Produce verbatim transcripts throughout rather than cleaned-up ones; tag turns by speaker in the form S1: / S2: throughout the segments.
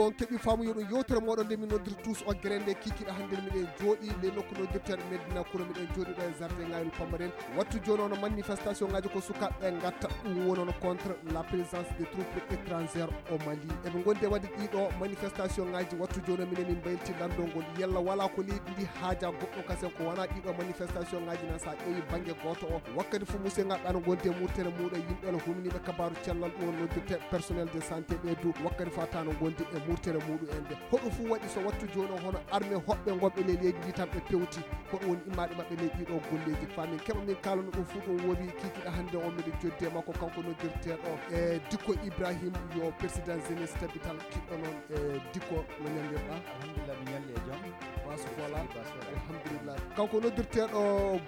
S1: on keɓi faamu yoɗon yewtere moɗon nde min noddir tous o grende kikiɗa hande miɗen jooɗi le nokku noddirteɗo Medina Kouro miɗen jooɗi ɗo e jardin ngayol Pamaren wattu joni ono manifestation ngaji ko sukaɓe gatta ɗum woni ono contre la présence des troupes étrangères au Mali eɓe gondi e wadde ɗiɗo manifestation ngaji wattu joni minen min baylti landol ngol yalla wala ko leydi ndi haaja goɗɗo kasen ko wona ɗiɗo manifestation ngaji nan sa ƴeewi banggue goto o wakkati fo musidɗo ngaɗɗa no gondi e murtere muɗum yimɓe no humniɓe kabaru cellal ɗum noddirte personnel de santé ɓeydu wakkati fata no gondi e murtere muɗum en de hoɗum fu waɗi so wattu joni hono armé hoɓɓe gonɓe le leydi ndi tan ɓe pewti hoɗum woni immaɗe mabɓe ley ɗiɗo golleji famin keɓa min kalano ɗum fu ɗum woni kikiɗa hande o miɗen joddi e makko kanko noddirteɗo e Dicko Ibrahim yo président jeunesse tabital kiɗɗo noon e Dicko no ñallirɗa
S2: alhamdulillah mi ñalli e joom
S1: basu fola alhamdulillah kanko noddirteɗo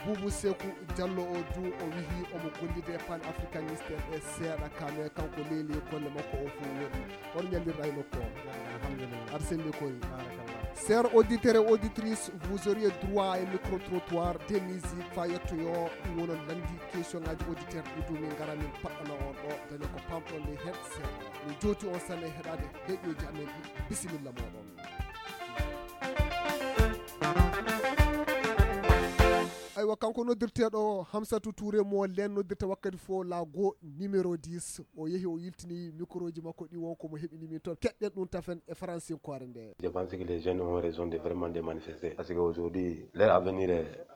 S1: Boubou Sékou Diallo o du o wihi omo gollide pan africaniste e seeɗa kame kanko leeli golle makko o fu woni on ñallirɗa e nokku o
S2: alhamdulillah
S1: aɗa selli koye
S2: barakallah.
S1: Chers auditeurs et auditrices, vous auriez droit à un micro-trottoir de musique fa yettoyo ɗum wonon landi question ngaji auditeur ɗuɗu min gara min paɗɗana on ɗo daña ko pamɗon ne hen seeɗa min jooti on sanne heɗade heɗoji amen ɗi bisimilla moɗon. aywa kanko noddirteɗo Hamsatou Touré mo len noddirta wakkati fo laago numéro dix o yeehi o yiltini micro ji makko ɗi wonko mo heɓini min toon keɗɗen ɗum tafen e français koore nde.
S3: Je pense que les jeunes ont raison de vraiment de manifester parce qu'aujourd'hui leur avenir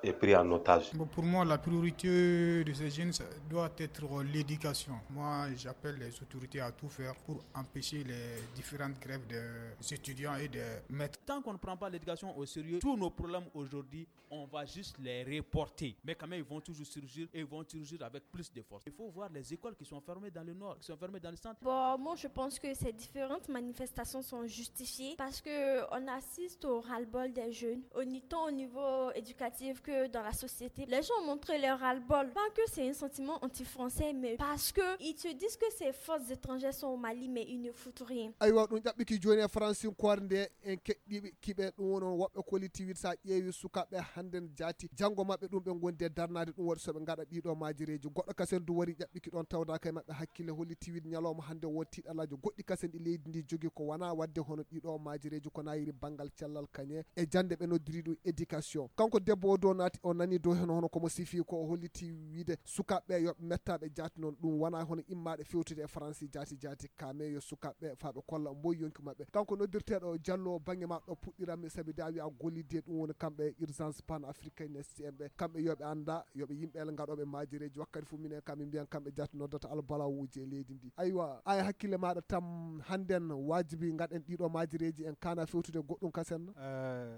S3: est pris en otage.
S4: Bon, pour moi la priorité de ces jeunes doit être l'éducation. Moi j'appelle les autorités à tout faire pour empêcher les différentes grèves des étudiants et des maîtres.
S5: Tant qu'on ne prend pas l'éducation au sérieux, tous nos problèmes aujourd'hui on va juste les reporter. Mais quand même, ils vont toujours surgir et ils vont surgir avec plus de force. Il faut voir les écoles qui sont fermées dans le nord, qui sont fermées dans le centre.
S6: Bon, moi, je pense que ces différentes manifestations sont justifiées parce qu'on assiste au ras-le-bol des jeunes, tant au niveau éducatif que dans la société. Les gens ont montré leur ras-le-bol. Pas que c'est un sentiment anti-français, mais parce qu'ils se disent que ces forces étrangères sont au Mali, mais ils ne foutent rien.
S1: aywa ɗum ƴaɓɓiki joni e français koore nde en keɗɗiɓe kiɓe ɗum wono woɓɓe kolitiwiɗ sa ƴeewi sukaɓe hannden jaati janggo mabɓe ɗum ɓe gondi e darnade ɗum waɗi soɓe gaɗa ɗiɗo majireji goɗɗo kasen du wari ƴaɓɓiki ɗon tawdaka e mabɓe hakkille holli tiwiɗ ñalawma hande won tiɗalaji goɗɗi kasen ɗi leydi ndi jogui ko wona wadde hono ɗiɗo majireji ko nayiri banggal cellal kañe e jande ɓe noddiri ɗum éducation kanko debbo o do naati o nani dow hen hono komo sifi ko o holliti wiide sukaɓeɓe yoɓe mettaɓe jaati noon ɗum wona hono immaɗe fewtude e français jaati jaati kame yo sukaɓeɓe faɓe kolla mboy yonki mabɓe kanko noddirteɗo Diallo banggue ma ɗo puɗɗiranmi saabi da wi a gollide ɗum woni kamɓe urgence pan africainiste en ɓe kamɓe yoɓe anda yoɓe yimɓe gaɗoɓe majireji wakkati fu minen kam min mbiyan kamɓe jaati noddata albalawuji e leydi ndi aywa ay hakkille maɗa tam hannden wajibi gaɗen ɗiɗo majireji en kana fewtude goɗɗum kasen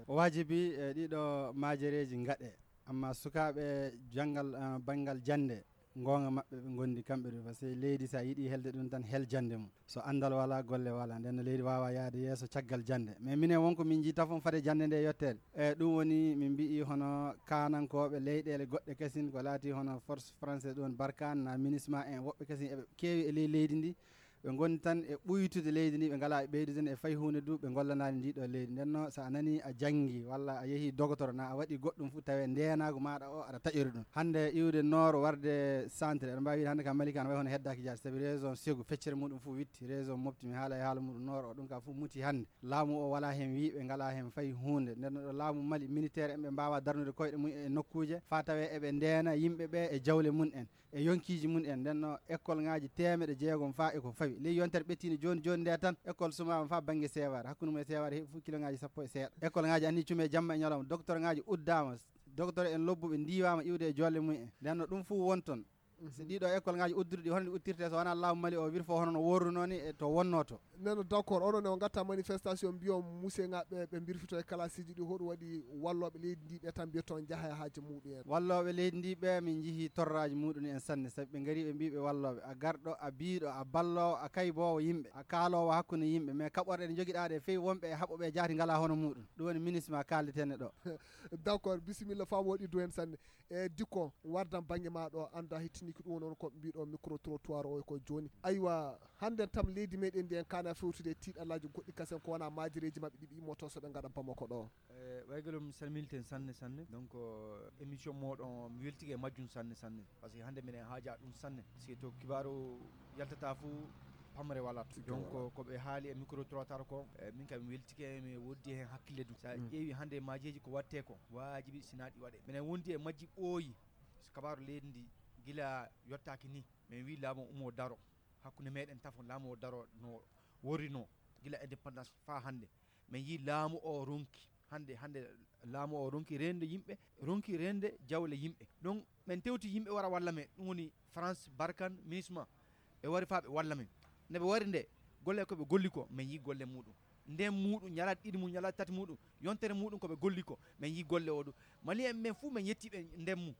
S2: wajibi e ɗiɗo majireji gaɗe amma sukaɓe janggal uh, banggal jande gonga mabɓe ɓe gondi kamɓe ɗo par ce que leydi sa yiiɗi helde ɗum tan hel jande mum so andal wala golle wala nden leydi wawa yaade yeeso caggal jande mais minen wonko min jiita fof fade jande nde yettede e ɗum woni min mbi hono kanankoɓe leyɗele goɗɗe kasin ko laati hono force français ɗon Barkhane na MINUSMA en woɓɓe kasin eɓe keewi e ley leydi ndi ɓe gondi tan e ɓuytude leydi ndi ɓe ngala e ɓeydude e fayi hunde du ɓe gollanani ndiɗo leydi ndenno sa nani a janggi walla a yeehi docteur na a waɗi goɗɗum fu tawe ndenago maɗa o aɗa taƴori ɗum hande iwde nord warde centre eɗen mbawi hande kam Malika ne way hono heddaki jaati saabi raison Ségu feccere muɗum fu witti raison mofti mi haala e haala muɗum nord o ɗum ka fu muti hande laamu o wala hen wiiɓe ngala hen fayi hunde nden ɗo laamu Mali militaire en ɓe mbawa darnude koyɗe mum e nokkuje fa tawe eɓe ndena yimɓeɓe e jawle mun en e yonkiji mun en ndenno école ngaji temeɗe jeegom fa eko fawi ley yontere ɓettino joni joni nde tan école sumama fa banggue seware hakkude mum e seware heeɓi fu kilo ngaji sappo e seeɗa école ngaji anni cuume jamma e ñalawma docteur ngaji uddama docteur en lobbuɓe ndiwama iwde e jolle mum en ndenno ɗum fu wonton so ɗiɗo école ngaji udduɗi hono ɗi uttirte so wona laamu Mali o wir fo hono no worruno ni e to wonno to
S1: neno d' accord oɗon e gatta manifestation mbiyon musse ngaɓe ɓe birfito e classe ji ɗi hoɗum waɗi walloɓe leydi ndi ɓe tan mbiyaton jaaha e haaji muɗum en
S2: walloɓe leydi ndi ɓe min jeehi torraji muɗum en sanne saabi ɓe gaari ɓe mbiɓe walloɓe a garɗo a biiɗo a ballowo a kaybowo yimɓe a kaalowo hakkude yimɓe mais kaɓorɗe ɗe joguiɗa ɗe fewi wonɓe e haɓoɓe jaati ngala hono muɗum ɗum woni MINUSMA kaldetene ɗo
S1: d' accord bisimilla fam woɗi do hen sanne e Dicko wardan banggue maɗo anda hettini ko ɗum noon ko mbiɗo micro trottoir o ko joni aywa hande tam leydi meɗen ndi en kana fewtude tiɗalaji goɗɗi kasen ko wona majireji mabɓe ɗiɓi immoto soɓe gaɗa Bamako ɗo
S7: waygalo mi salmilten sanne sanne donc émission moɗon mi weltike majjum sanne sanne par ce que hande minen haaja ɗum sanne si to kibaru yaltata fou pamre walat donc ko ɓe haali e micro trottoir ko min kam mi weltike mi woddi hen hakkille dum sa ƴeewi hande majeji ko watte ko wajibi sina ɗi waɗe minen wondi e majji ɓooyi kabaru leydi ndi gila yottaki ni min wi laamu umo daro hakkunde meɗen tafo laamu o daro no worino gila indépendance fa hande min yi laamu o ronki hande hande laamu o ronki rende yimɓe ronki rende jawle yimɓe donc min tewti yimɓe wara walla men ɗum woni France Barkhane MINUSMA ɓe wari fa ɓe walla men nde ɓe wari nde golle koɓe golli ko min yi golle muɗum nden muɗum ñalat ɗiɗi mum ñalat tati muɗum yontere muɗum koɓe golli ko min yi golle o ɗum mali en men fuu min yettiɓe nden mum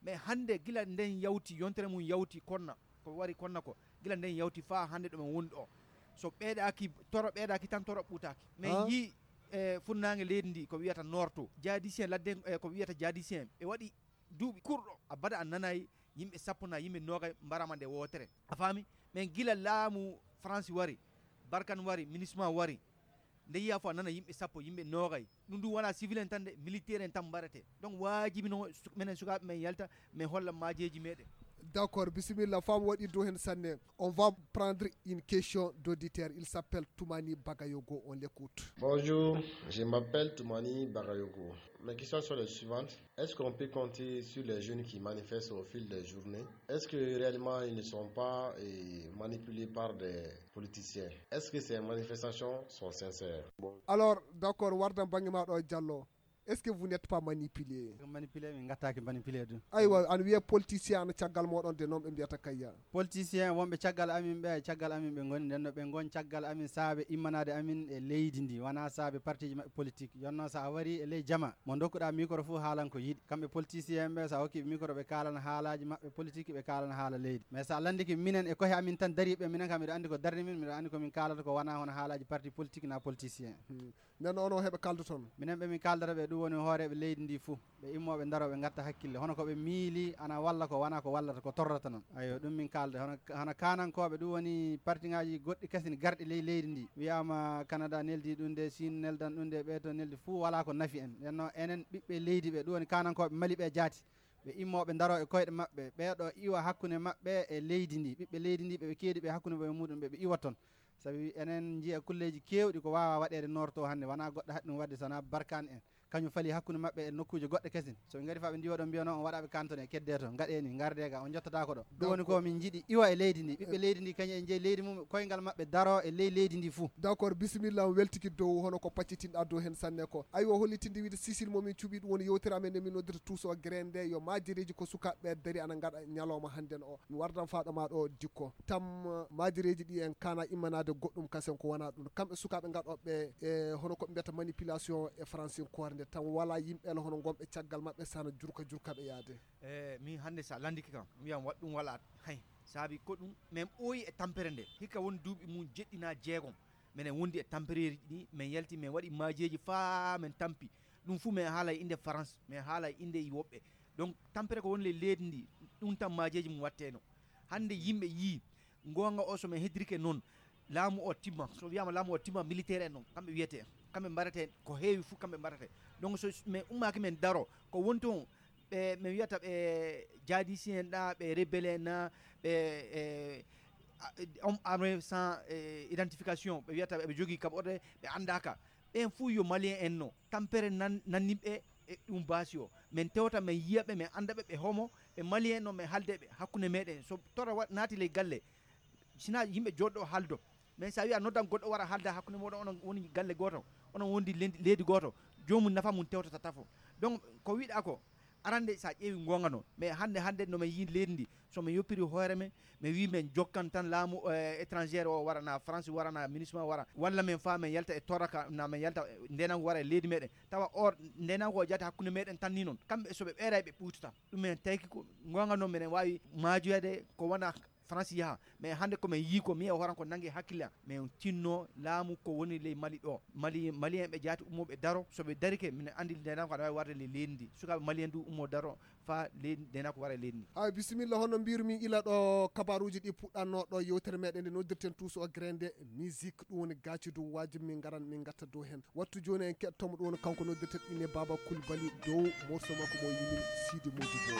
S7: mais hande gila nden yawti yontere mum yawti konna ko wari konna ko gila nden yawti fa hande ɗo min woni ɗo so ɓeeɗaki toro ɓeeɗaki tan toro ɓuutaki min yi e funnange leydi ndi ko wiyata norto jadicien ladde ko wiyata jadicien ɓe waɗi duuɓi kurɗo a bada a nanayi yimɓe sappo na yimɓe noga mbarama nde wotere a faami min gila laamu France wari Barkhane wari MINUSMA wari nde yiya fo a nana yimɓe sappo yimɓe nogay ɗum ɗum wona civil en tan de militaire en tan mbarete donc wajibi no minen sukaɓe men yalta min holla majeji meɗen.
S1: D'accord, bismillah, femme waɗi do hen sanne. On va prendre une question d'auditeur. Il s'appelle Toumani Bagayogo, on l'écoute.
S8: Bonjour, je m'appelle Toumani Bagayogo. Mes questions sont les suivantes. Est-ce qu'on peut compter sur les jeunes qui manifestent au fil des journées? Est-ce que réellement ils ne sont pas eh, manipulés par des politiciens? Est-ce que ces manifestations sont sincères?
S1: Bon. Alors, d'accord, Wardan Bangimado Diallo. Est-ce que vous n'êtes pas manipulé?
S2: Manipulé, mais ngata manipulé du.
S1: Aywa, an wiye politicien an caggal modon de nom be mbiyata kayya.
S2: Politicien wonbe caggal amin be caggal amin be ngoni den no be ngon caggal amin saabe immanade amin e leydi ndi wana saabe parti politique yonno sa wari e ley jama mo dokkuda micro fu haalan ko yidi kambe politicien be sa hokki micro be kalan haalaji mabbe politique be kalan haala leydi mais sa landiki minen e kohe amin tan dari be minen kam mi andi ko darni min mi andi ko min kalata ko wana hono haalaji parti politique na politicien
S1: nen ono hebe kaldo ton
S2: minen be min kaldara be woni hooreɓe leydi ndi fuu ɓe immoɓe daroɓe gatta hakkille hono koɓe miili ana walla ko wana ko wallata ko torrata noon ayo ɗum min kalde hono hono kanankoɓe ɗum woni parti ngaji goɗɗi kasini garɗi ley leydi ndi wiyama Canada neldi ɗum de Chine neldan ɗum de ɓe to neldi fuu wala ko nafi en enno enen ɓiɓɓe leydi ɓe ɗum woni kanankoɓe mali ɓe jaati ɓe immoɓe daro e koyɗe mabɓe ɓeɗo iwa hakkude mabɓe e leydi ndi ɓiɓɓe leydi ndi ɓeɓe keedi ɓe hakkude ɓe muɗum ɓeɓe iwa toon sabi enen jiiya kulleji kewɗi ko wawa waɗede norto hannde wona goɗɗo haɗi ɗum wadde sona Barkhane en kañum fali hakkude mabɓe e nokkuji goɗɗe kesin so ɓe gari fa ɓe ndiwa ɗon mbiya noon on waɗaɓe cantone kedde to gaɗeni garde ga on jottata ko ɗo ɗum woni ko min jiiɗi iwa e leydi ndi ɓiɓɓe leydi ndi kañum en jeeyi leydi mum koyngal mabɓe daro e ley leydi ndi fuu.
S1: D'accord, bisimilla on weltiki dow hono ko paccitinɗa dow hen sanne ko aywa hollitinde wiide sisil momin cuuɓi ɗum woni yewtere amen nde min noddata tuuso grande yo majireji ko sukaɓeɓe dari ana gaɗa ñalawma hannden o mi wardan faɗoma ɗo dikko tam majireji ɗi en kana immanade goɗɗum kasen ko wona ɗum kamɓe sukaɓe gaɗoɓe e hono koɓe mbiyata manipulation e français korde tan wala yimɓele hono gomɓe caggal mabɓe sana jurka jurkaɓe yaade
S7: e min hande sa landiki kam wiyam waɗ ɗum wala hay saabi ko ɗum min ɓooyi e tampere nde hikka woni duuɓi mum jeɗɗina jeegom minen wondi e tampereji ɗi min yalti min waɗi majeji faa min tampi ɗum fuu min haala e inde France min haala e inde e woɓɓe donc tampere ko woni le leydi ndi ɗum tan majeji mum watteno hande yimɓe yii gonga o so min heddirike noon laamu o timma so wiyama laamu o timma militaire en noon kamɓe wiyete kamɓe mbarate ko heewi fuu kamɓe mbarate donc so min ummaki men daro ko woni toon ɓe min wiyata ɓe jadicien en ɗa ɓe rebelle en na ɓe e homme armé sans identification ɓe wiyata ɓe jogui kaɓorde ɓe andaka ɓen fuu yo malien en no tampere nan nanniɓe e ɗum baasi o min tewta min yiyaɓe min andaɓe ɓe homo ɓe malien en no min haaldeɓe hakkude meɗen so tora naati ley galle sina yimɓe joɗɗo haaldo mais sa wi a noddan goɗɗo wara haalda hakkude moɗon onon woni galle goto onon wondi leydi goto jomum nafa mum tewtata tafo donc ko wiɗa ko arande sa ƴeewi gonga noon mais hande hande nomin yi leydi ndi somin yoppiri hoore men mi wi men jokkan tan laamu étrangére o wara na France wara na MINUSMA wara walla min fa min yalta e toraka na min yalta ndenango wara e leydi meɗen tawa or ndenango o jaati hakkude meɗen tan ni noon kamɓe soɓe ɓeeray ɓe ɓuutata ɗum men tawki ko gonga noon minen wawi maajoyade ko wona France yaha mais hande komin yii ko mi e horan ko nangue hakkille min tinno laamu ko woni ley Mali ɗo Mali malien ɓe jaati ummoɓe daro soɓe darike mine andi ndenako aɗa wawi warde le leydi ndi sukaɓe malien du ummo daro fa leydi ndenako wara e leydi ndi
S1: ay bisimilla hono mbirumi ila ɗo kabaruji ɗi puɗɗanno ɗo yewtere meɗen nde noddirten tuuso o grande musique ɗum woni gacci dow wajibi min garan min gatta dow hen wattu joni en keɗtomo ɗum woni kanko noddirten ine Baba Coulibaly dow morceau makko mo yimi Sidi Modibo.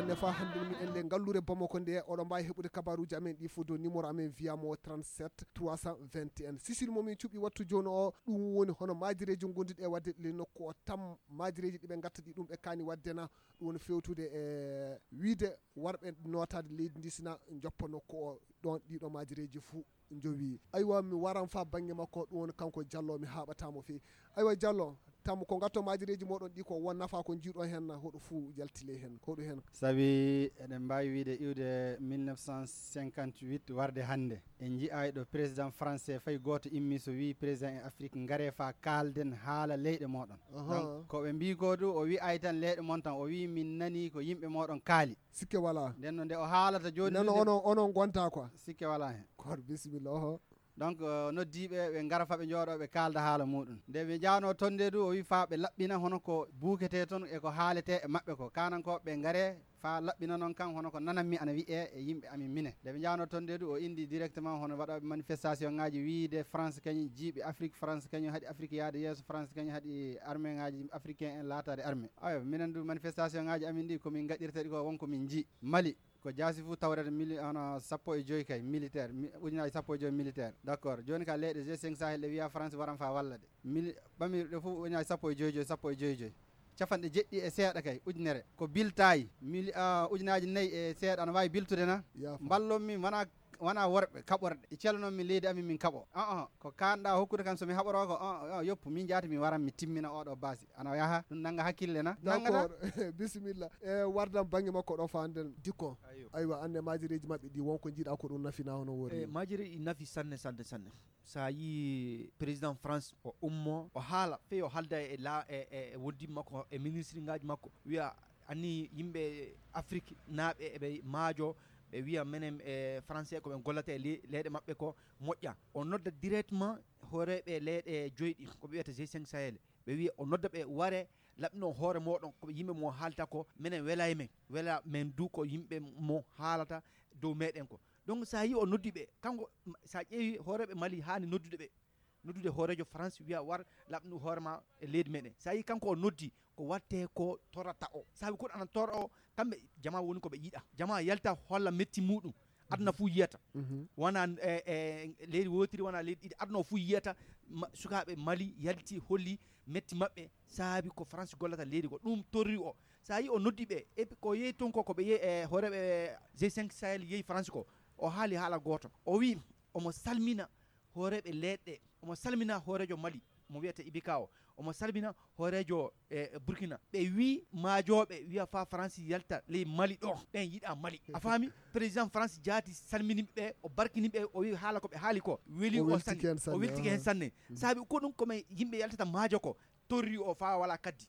S1: sanne fa hande min en le gallure Bamako nde oɗon mbawi heɓude kabaruji amen ɗi fo dow numéro amen wiyamo trente-sept trois cent vingt et un sisir momin cuɓi wattu joni o ɗum woni hono majireji gondiɗe e wadde le nokku o tam majireji ɗiɓe gatta ɗi ɗum ɓe kani waddena ɗum woni fewtude e wiide warɓe notade leydi ndi sina joppa nokku o ɗon ɗiɗo majireji fou jowi aywa mi waran fa banggue makko ɗum woni kanko Diallo mi haɓatamo fewi aywa Diallo tam ko gatto majireji moɗon ɗi ko won nafa ko jiiɗo hen hoɗo fou jaltile hen hoɗo hen
S2: saabi eɗen mbawi wiide iwde mille neuf cent cinquante-huit warde hande en jii'ay ɗo président français fayi goto immi so wi président e Afrique gaare fa kalden haala leyɗe moɗon donc koɓe mbi ko du o wi ay tan leyɗe mon tan o wi min nani ko yimɓe moɗon kaali
S1: sikke wala
S2: nden no nde o haalata joni
S1: nano onon onon gonta quoi
S2: sikke wala hen
S1: koto bisimilla oho
S2: donc uh, noddiɓe ɓe gara fa ɓe jooɗo ɓe kalda haala muɗum nde ɓe jawno tonde du o wi fa ɓe laɓɓina hono ko buukete toon e ko haalete e mabɓe ko kanankoɓe ɓe gaare fa laɓɓina noon kan hono ko nananmi ana wiye e yimɓe amin mine nde ɓe jawno tonde du o indi directement hono waɗoɓe manifestation ngaji wiide France kañum jiiɓi Afrique France kañum haaɗi Afrique yaade yeeso France kañum haaɗi armé ngaji africain en latade armé ayo minen du manifestation ngaji amin ɗi komin gaɗirta ɗi ko wonko min jii Mali ko jaasi fu tawrede mili ana sappo e joyi kay militaire ujunaji sappo e joyi militaire d' accord joni ka leyɗe G cinq Sahel ɗe wiya France waran fa wallade mili ɓamirɗe fof ujunaji sappo e joyi joyi sappo e joyi joyi capanɗe jeɗɗi e seeɗa kay ujunere ko biltayi mili uh, ujunaji nayyi e seeɗa ana wawi biltude na mballon min wona wona worɓe kaɓorɗe e celnoon min leydi amin min kaɓo uh ko kanɗa hokkude kam somi haɓoro ko uh, yoppu min jaati mi waran mi timmina oɗo basi ana yaha ɗum nanga hakkille na
S1: d' accord bisimilla e wardam banggue makko ɗo fa anden dikko aywa ande majireji mabɓe ɗi wonko jiiɗa ko ɗum nafina hono wori
S7: e majiri i nafi sanne sanne sanne sa yi président France o ummo o haala fe o halda e la e e woddima makko e ministre ngaji makko wiya anni yimɓe Afrique naaɓe eɓe maajo ɓe wiya menen e français koɓe gollata e leyɗe maɓɓe ko moƴƴa o nodda directement hooreɓe leyɗe joyɗi koɓe wiyata G cinq Sahel ɓe wiya o nodda ɓe ware laɓno hoore moɗon koɓe yimɓe mo haalta ko minen wela e men wela men du ko yimɓe mo haalata dow meɗen ko donc sa yi o noddi ɓe kanko sa ƴeewi hooreɓe Mali hani noddude ɓe noddude hoorejo France wiya war laɓnu hoorema e leydi meɗen sa yi kanko o noddi ko watte ko torata o saabi koɗo anan tora o kamɓe jama woni koɓe yiiɗa jama yalta holla metti muɗum aduna fuu yiyata wona e e leydi wotiri wona leydi ɗiɗi aduna o fuu yiyata sukaɓe Mali yalti holli metti mabɓe saabi ko France gollata leydi ko ɗum torri o sa yi o noddi ɓe e ko yeeyi toon ko koɓe yeeyi e hooreɓe G cinq Sahel yeeyi France ko o haali haala goto o wi omo salmina hooreɓe leɗɗe omo salmina hoorejo Mali mo wiyata Ibika o omo salmina hoorejo e Burkina ɓe wi maajoɓe wiya fa France yalta ley Mali ɗo ɓen yiiɗa Mali a faami président France jaati salminiɓe o barkiniɓe o wi haala koɓe haali ko weli o sanne o weltike hen sanne saabi ko ɗum komi yimɓe yaltata maajo ko torri o fa wala kaddi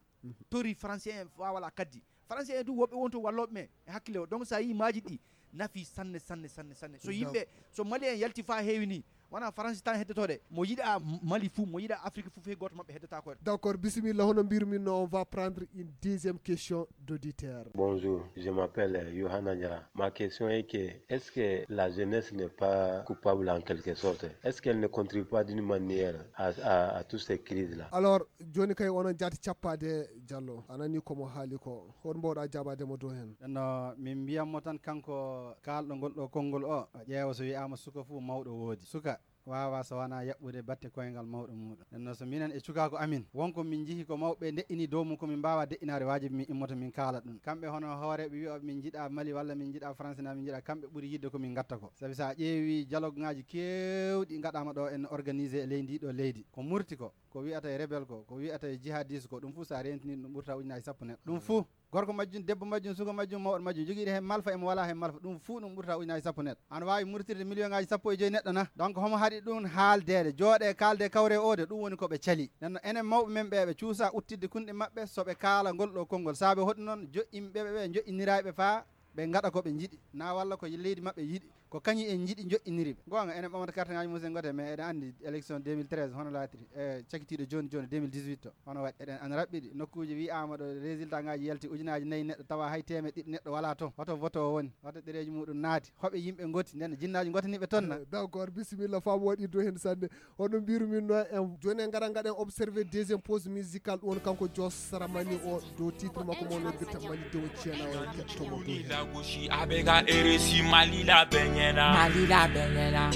S7: torri français en fa wala kaddi français en du woɓɓe wonto walloɓe men e hakkille o donc sa yi maaji ɗi nafi sanne sanne sanne sanne so yimɓe so Mali en yalti fa heewi ni wona France tan heddotode mo yiɗa Mali fou mo yiɗa Afrique fou fe goto mabɓe heddata ko
S1: d' accord bisimilla hono mbirumin no on va prendre une deuxième question d'auditeur.
S3: Bonjour, je m'appelle Johanna Diara. Ma question est que est-ce que la jeunesse n'est pas coupable en quelque sorte? Est-ce qu'elle ne contribue pas d'une manière à, à, à toutes ces crises là?
S1: Alors joni kay onon jaati cappade Diallo anani komo haali ko hon mbawɗa jabademo dow hen?
S2: no min mbiyatmo tan kanko kalɗo ngol ɗo konngol o ƴeewa so wiyama suka fuu mawɗo woodi suka wawa so wona yaɓɓude batte koyngal mawɗo muɗum nenno so minen e cukako amin wonko min jiihi ko mawɓe de'ini dow mum komin mbawa de'inade wajibi min immoto min kaala ɗum kamɓe hono hooreɓe wiya min jiiɗa Mali walla min jiiɗa France na min jiiɗa kamɓe ɓuuri yidde komin gatta ko saabi sa ƴeewi dialogue ngaji kewɗi gaɗama ɗo en organisé e ley ndiɗo leydi ko murti ko ko wiyata e rebel ko ko wiyata e jihadiste ko ɗum fuu sa rentini ɗum ɓurta ujunaji sappo neɗɗo ɗum fuu gorko majjum debbo majjum suka majjum mawɗo majjum joguiɗo hen malfa emo wala hen malfa ɗum fuu ɗum ɓurta ujunaji sappo neɗɗo ana wawi murtirde million ngaji sappo e joyi neɗɗo na donc homo haɗi ɗum haaldede jooɗe kalde kawre ode ɗum woni koɓe caali nenno enen mawɓe men ɓe ɓe cuusa uttidde kunɗe mabɓe soɓe kaala ngol ɗo konngol saabe hoɗum noon joƴƴimɓeɓe ɓe joƴƴiniraɓe faa ɓe gaɗa koɓe jiiɗi na walla ko leydi mabɓe yiiɗi ko kañi en jiiɗi joƴƴiniriɓe gonga enen ɓamata carte ngaji musen gote mais eɗen andi élection deux mille treize hono laatiri e cakitiɗo joni joni deux mille dix-huit o hono waɗi eɗen an raɓɓiɗi nokkuji wiyama ɗo résultat ngaji yalti ujunaji nayyi neɗɗo tawa hay temed ɗiɗi neɗɗo wala toon hoto vote o woni hoto ɗereji muɗum naati hoɓe yimɓe gotti nden jinnaji gotaniɓe toon na
S1: d' accord bisimilla fam waɗi do hen sanne hono mbirumin no en joni en gara gaɗen observé deuxième pause musical ɗum woni kanko Jos Saramani o dow titre makko mo no bitta Mali dow ciena o kettomo dow hen
S9: abega eresi Mali la benyena Mali la benyena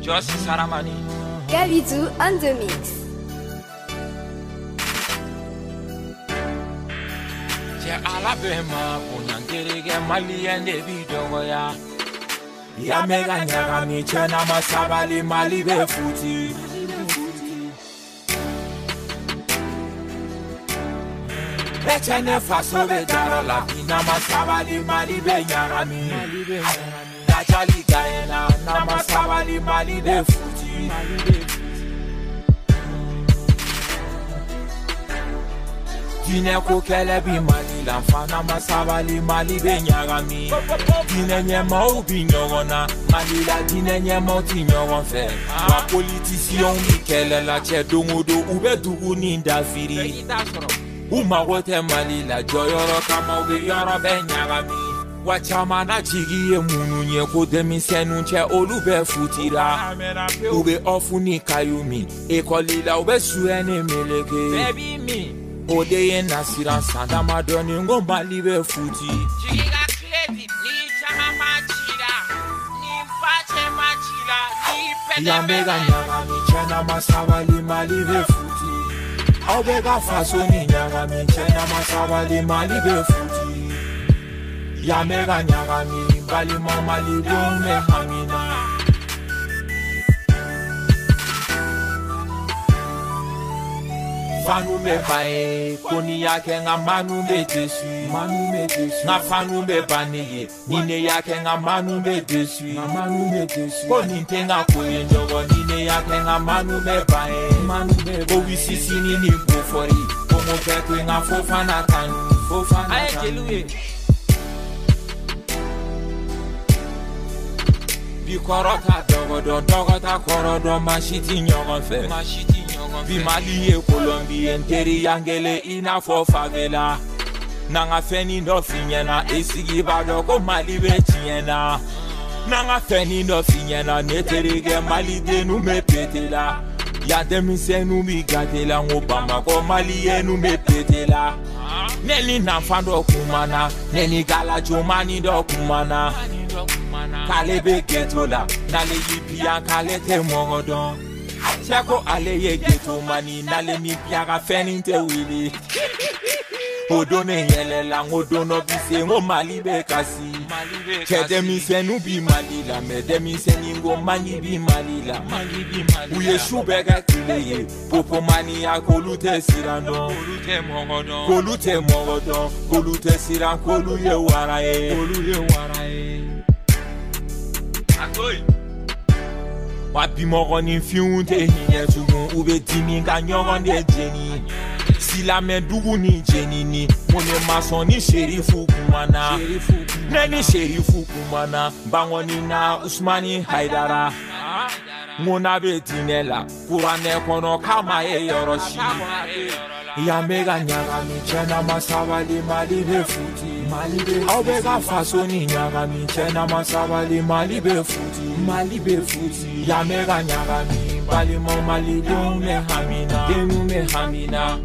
S9: Jos Saramani
S10: Gabidou on the mix.
S9: Je alabema kunyangerege Mali ende bidogo ya ya mega nyaga mi chena masabali Mali be futi Bechene faso be daro la bina masabali Mali be nyaga mi Najali gaena na masabali Mali be futi Dine ko kele bi Mali la fana masabali Mali be nyaga mi Dine nyema ou bi nyogona Mali la dine nyema ou ti nyogon fe Wa politisyon mi kele la che dongodo ube dugu ni ndafiri Uma wote Mali la joyoro kama ube yoro be nyaga mi Wachama na jigi ye munu nye ko demisenu che olu be futira Ube ofu ni kayumi Ekoli la ube suene meleke Baby me Ode ye nasiran sanda madoni ngo Mali be futi Jigi ga kle David ni chama machila ni pache machila ni pele yamega nyama mi chana masabali mali be futi obega faso ni nyama mi chana masabali mali be futi yamega nyama mi bali mama li me hamina Fanu me bae, koni yake nga manu me desu, manu me desu. Nga fanu me baniye, nine yake nga manu me desu, nga manu me desu. Koni tenga koye njogo, nine yake nga manu me bae, manu me bae. Kowi sisi nini bufori, komo pekwe nga fofana tanu, fofana tanu. Aye jeluye. Bi korota dogodo, dogota korodo, mashiti nyogon fe, mashiti. Bi Mali e Colombie nteri yangele ina fo favela Nanga feni no finyena esigi bado ko Mali be tiena Nanga feni no finyena neterige Mali de nu me petela Ya demi se nu mi gatela ngobama ko Mali e nu me petela Neni na fando kumana neni gala jomani do kumana Kale be getola nale yipia kale te mogodon Chako ale ye geto mani nale mi piaga feninte wili Odone yele la ngodono bise ngo Mali be kasi Kede mi senu bi Mali la Mede mi seningo mani bi Mali la Uye shubega kileye Popo mani ya kolute sirando Kolute mongodon Kolute mongodon Kolute siran kolu ye waraye Kolu ye waraye Akoy Wapi mogoni fiunte hinye tugun ube dimi nga nyogon de jeni Sila men dugu ni jeni ni Mone mason ni sherifu kumana Neni sherifu kumana Bangoni na Usmani Haidara Mona be dinela Kurane kono kama e yoroshi Ya mega nyaga mi chena masabali mali be futi Mali be Obega faso ni nyaga mi chena masabali mali be futi Mali be futi Ya mega nyaga mi bali mo Mali de me hamina De me hamina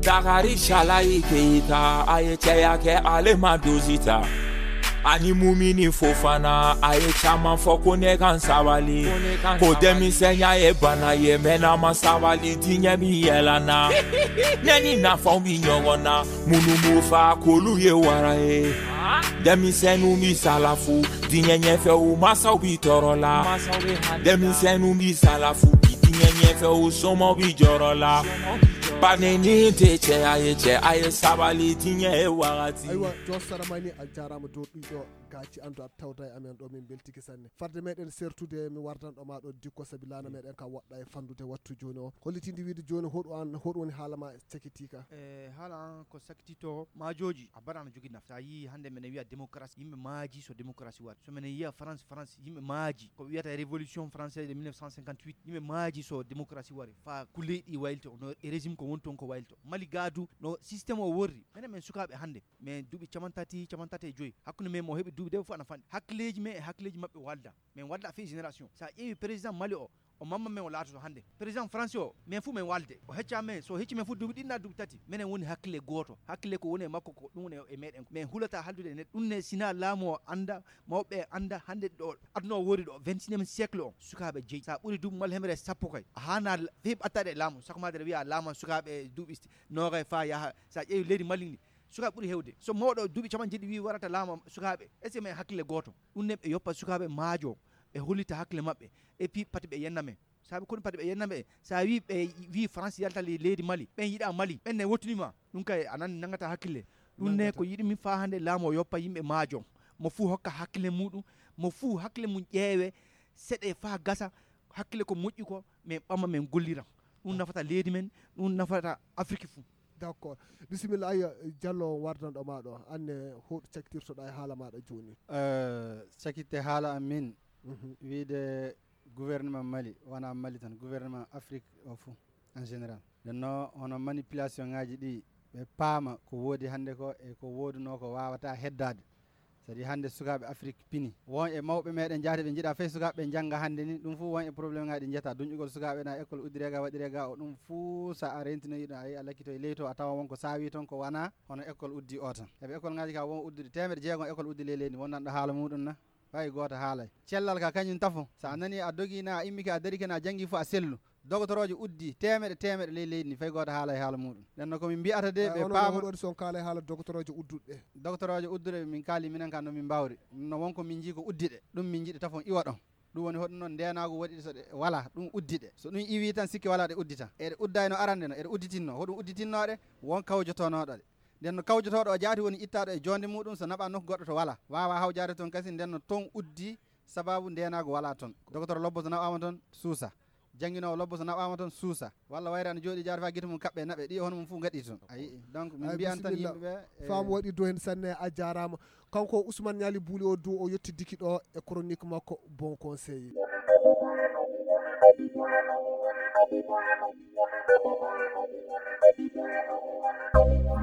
S9: Dagari shala ikeita aye cheya ke ale madozita Ani mumini fofana aye chama foko ne kan sabali Ko demi senya e bana ye mena masabali tinye mi yelana Neni na fombi nyongona munu mufa kolu ye warae Demi senu mi salafu tinye nyefe u masa ubi torola Demi senu mi salafu tinye nyefe u somo bi jorola Baneni te che aye che aye sabali tinye e warati
S1: Aywa jo saramani aljarama do ɗiɗo gaci andu at tawda e amen ɗo min beltiki sanne farde meɗen sertude mi wardan ɗo ma ɗo dikko sabi lana meɗen ka woɗɗa e fandude wattu joni o hollitinde wiide joni hoɗo an hoɗo woni haalama cekitika
S7: e haala an ko sakitito majoji a baɗano jogui nafta yi hande minen wiya démocratie yimɓe maaji so démocratie waɗi so minen yiya france france yimɓe maaji ko wiyata révolution française de mille neuf cent cinquante-huit yimɓe maaji so démocratie waɗi fa kuleyɗi waylto no régime ko woni ton ko waylto Mali gadu no systéme o worri minen men sukaɓe hande mais duuɓi camantati camantati e joyyi hakkude men mo heeɓi duuɓi de fof ana fanɗi hakkileji men e hakkileji mabɓe walda min walda fe génération sa ƴeewi président Mali o o mamma men o laatoto hande président français o min fuu min walde o hecca men so hecci men fuu duuɓi ɗinna duuɓi tati minen woni hakkille goto hakkille ko woni e makko ko ɗum woni e meɗen min hulata haldude e neɗɗo ɗum ne sina laamu o anda mawɓe anda hande ɗo aduna o wori ɗo vingt-et-unième siècle o sukaɓe jeeyi sa ɓuuri duuɓi mal hemre sappo kay a hana fe ɓattade e laamu sakomade wiya laaman sukaɓe duuɓi noogay fa yaaha sa ƴeewi leydi Mali ndi sukaɓe ɓuuri hewde so mawɗo duuɓi capan jeeɗi wi warata laama sukaɓe est ce que men hakkille goto ɗum ne ɓe yoppa sukaɓe maajo ɓe hollita hakkille mabɓe et puis pati ɓe yenna men saabi kono pati ɓe yenna ɓe sa wi ɓe wi France yalta leydi Mali ɓen yiiɗa Mali ɓen ne wottunima ɗum kay anan nangata hakkille ɗum ne ko yiɗi min fa hande laamu o yoppa yimɓe maajo mo fuu hokka hakkille muɗum mo fuu hakkille mum ƴeewe seɗe fa gasa hakkille ko moƴƴi ko min ɓamma min golliram ɗum nafata leydi men ɗum nafata Afrique fuu
S1: d' accord bisimilla aya Diallo wardanɗo ma ɗo anne hoɗo caktirtoɗa e haala maɗa joni
S2: cakitte haala amin wiide gouvernement Mali wona Mali tan gouvernement Afrique o fou en général ɗenno hono manipulation ngaji ɗi ɓe paama ko woodi hande ko e ko woduno ko wawata heddade sadi hande sukaɓe Afrique pini won e mawɓe meɗen jahde ɓe jiiɗa fey sukaɓe jangga hande ni ɗum fu won e probléme ngaji ɗi jetta duñƴugol sukaɓe na école uddirega waɗirega o ɗum fuu sa a rentinoyiɗo a yi a lakkito e leyto a tawa wonko saawi toon ko wana hono école uddi o tan eɓe école ngaji ka won uddude temedde jeegom école uddi ley leydi wonnanɗo haala muɗum na way goto haalay cellal ka kañum tafo sa nani a dogina a immike a darike na janggi fo a sellu dogotorojo uddi temeɗe temeɗe ley leydi ni fay goto haala e haala muɗum nden komin mbiyata de ɓe paama
S1: son kaala e haala dogotorojo udduɗe
S2: dogotorojo udduɗe min kaali minen kan no min mbawri no wonko min jii ko uddiɗe ɗum min jiiɗi tafon iwa ɗon ɗum woni hoɗum noon ndenago waɗiɗe so ɗe wala ɗum uddiɗe so ɗum iwi tan sikki wala ɗe uddita eɗe uddayno arande no eɗe udditinno hoɗum udditinnoɗe won kawjotonoɗoɗe nden no kawjotoɗo o jaati woni ittaɗo e jonde muɗum so naɓa nokku goɗɗo to wala wawa hawjade toon kasi nden no ton uddi sababu ndenago wala toon docteur lobbo so naɓama toon suusa jangguinowo lobbo so naɓama toon suusa walla wayre ana jooɗi jaade fa guite mum kaɓɓe naɓe ɗi hono mum fuu gaɗi toon ayi donc min mbiyan tan yimɓeɓe
S1: faamu waɗi dow hen sanne a jarama kanko Ousmane Niali Bouli o dow o yettidiki ɗo e chronique makko bon conseil.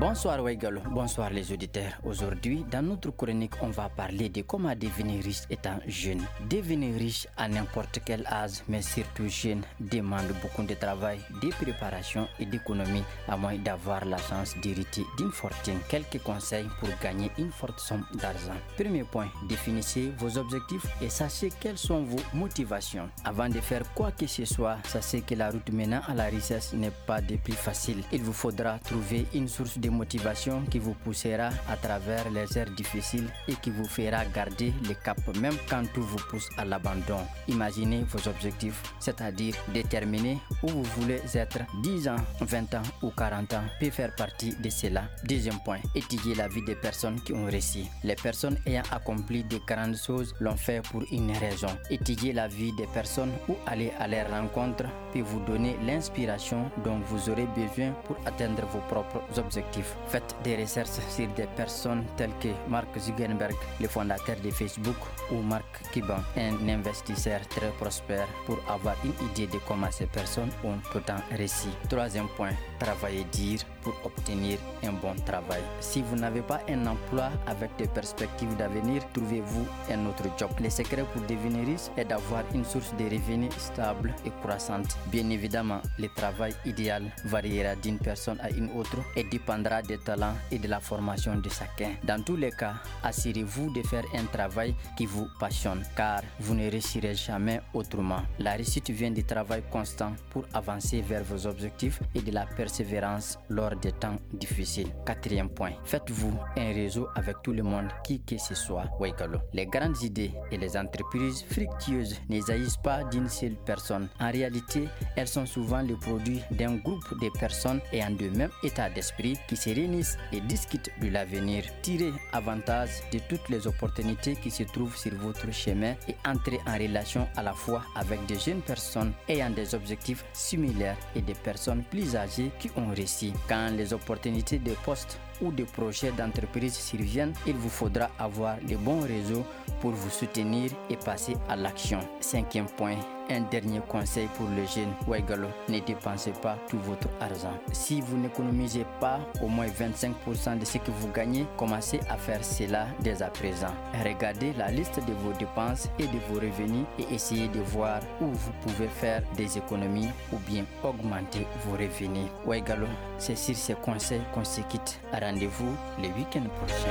S11: Bonsoir Waigalo, bonsoir les auditeurs. Aujourd'hui, dans notre chronique, on va parler de comment devenir riche étant jeune. Devenir riche à n'importe quel âge, mais surtout jeune, demande beaucoup de travail, de préparation et d'économie, à moins d'avoir la chance d'hériter d'une fortune. Quelques conseils pour gagner une forte somme d'argent. Premier point, définissez vos objectifs et sachez quelles sont vos motivations. Avant de faire quoi que ce soit, sachez que la route menant à la richesse n'est pas des plus faciles. Il vous faudra trouver une source de motivation qui vous poussera à travers les heures difficiles et qui vous fera garder le cap même quand tout vous pousse à l'abandon. Imaginez vos objectifs, c'est-à-dire déterminer où vous voulez être. dix ans, vingt ans ou quarante ans peut faire partie de cela. Deuxième point, étudier la vie des personnes qui ont réussi. Les personnes ayant accompli de grandes choses l'ont fait pour une raison. Étudier la vie des personnes ou aller à leur rencontre peut vous donner l'inspiration dont vous aurez besoin pour atteindre vos propres objectifs. Faites des recherches sur des personnes telles que Mark Zuckerberg, le fondateur de Facebook, ou Mark Cuban, un investisseur très prospère, pour avoir une idée de comment ces personnes ont autant réussi. Troisième point, travailler dur pour obtenir un bon travail. Si vous n'avez pas un emploi avec des perspectives d'avenir, trouvez-vous un autre job. Le secret pour devenir riche est d'avoir une source de revenus stable et croissante. Bien évidemment, le travail idéal variera d'une personne à une autre et dépendra des talents et de la formation de chacun. Dans tous les cas, assurez-vous de faire un travail qui vous passionne, car vous ne réussirez jamais autrement. La réussite vient du travail constant pour avancer vers vos objectifs et de la persévérance lors des temps difficiles. Quatrième point, faites-vous un réseau avec tout le monde, qui que ce soit. Waigalo. Les grandes idées et les entreprises fructueuses ne jaillissent pas d'une seule personne. En réalité, elles sont souvent le produit d'un groupe de personnes ayant le même état d'esprit qui se réunissent et discutent de l'avenir. Tirez avantage de toutes les opportunités qui se trouvent sur votre chemin et entrez en relation à la fois avec des jeunes personnes ayant des objectifs similaires et des personnes plus âgées qui ont réussi. Quand les opportunités de poste ou de projets d'entreprise surviennent, il vous faudra avoir le bon réseau pour vous soutenir et passer à l'action. Cinquième point, un dernier conseil pour les jeunes. Waigalo, ne dépensez pas tout votre argent. Si vous n'économisez pas au moins vingt-cinq pour cent de ce que vous gagnez, commencez à faire cela dès à présent. Regardez la liste de vos dépenses et de vos revenus et essayez de voir où vous pouvez faire des économies ou bien augmenter vos revenus. Waigalo, c'est sur ces conseils qu'on se quitte. Rendez-vous le week-end prochain.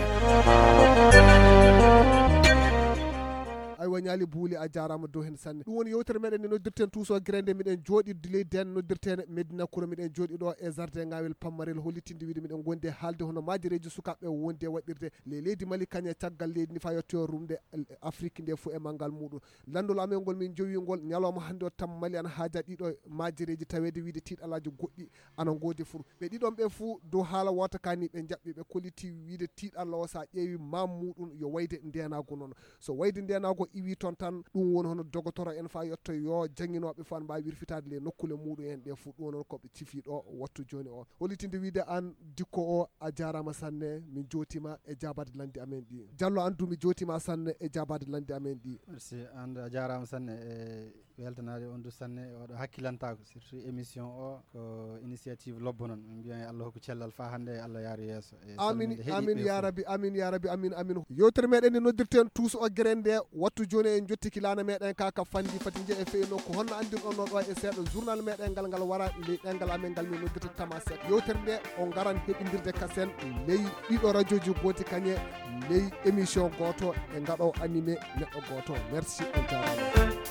S1: aywa Niali Bouli a jarama dow hen sanne ɗum woni yewtere meɗen nde noddirten tuuso grande miɗen jooɗi ley den noddirten Medina Koura miɗen jooɗi ɗo e jardin ngawel Pammarel hollitinde wiide miɗen gondi haalde hono majireji sukaɓe wonde waɗirde le leydi Mali kañe caggal leydi ni fa yettoyo rumde Afrique nde fo e manggal muɗum landol amen ngol min jowingol ñalawma hande o tam Mali ana haaja ɗiɗo majireji tawede wiide tiiɗalaji goɗɗi ana goodi fur ɓe ɗiɗon ɓe fuu dow haala wota kani ɓe jaɓɓi ɓe kolliti wiide tiiɗalla o sa ƴeewi mam muɗum yo wayde ndenago noon so wayde ndenago iwi toon tan ɗum woni hono dogotoro en fa yetto yo jangguinoɓe fan mbawi wirfitade le nokkule muɗum en ɗe fuu ɗum noon koɓe cifi ɗo wattu joni o hollitinde wiide an dikko o a jarama sanne min jotima e jabade landi amen ɗi Diallo andu mi jotima sanne e jabade landi amen ɗi
S2: merci and a jarama sanne e weltanade on du sanne oɗo hakkilantako surtout émission o ko initiative lobbo non min mbiyan Allah hokku cellal fa hande Allah yaaru yesso
S1: amin amin ya rabbi amin ya rabbi amin amin yewtere meɗen nde noddirten tous o grende wattu joni en jottiki lana meɗen ka ka fandi fati je e feyno ko honno andirɗon no ɗo e seeɗa journal meɗen ngal ngal wara ley ɗengal amen ngal min noddirta tama sek yewtere nde on garan heɓidirde kasen ley ɗiɗo radio ji goti kañe ley émission goto e ngaɗo animé neɗɗo goto merci on jarama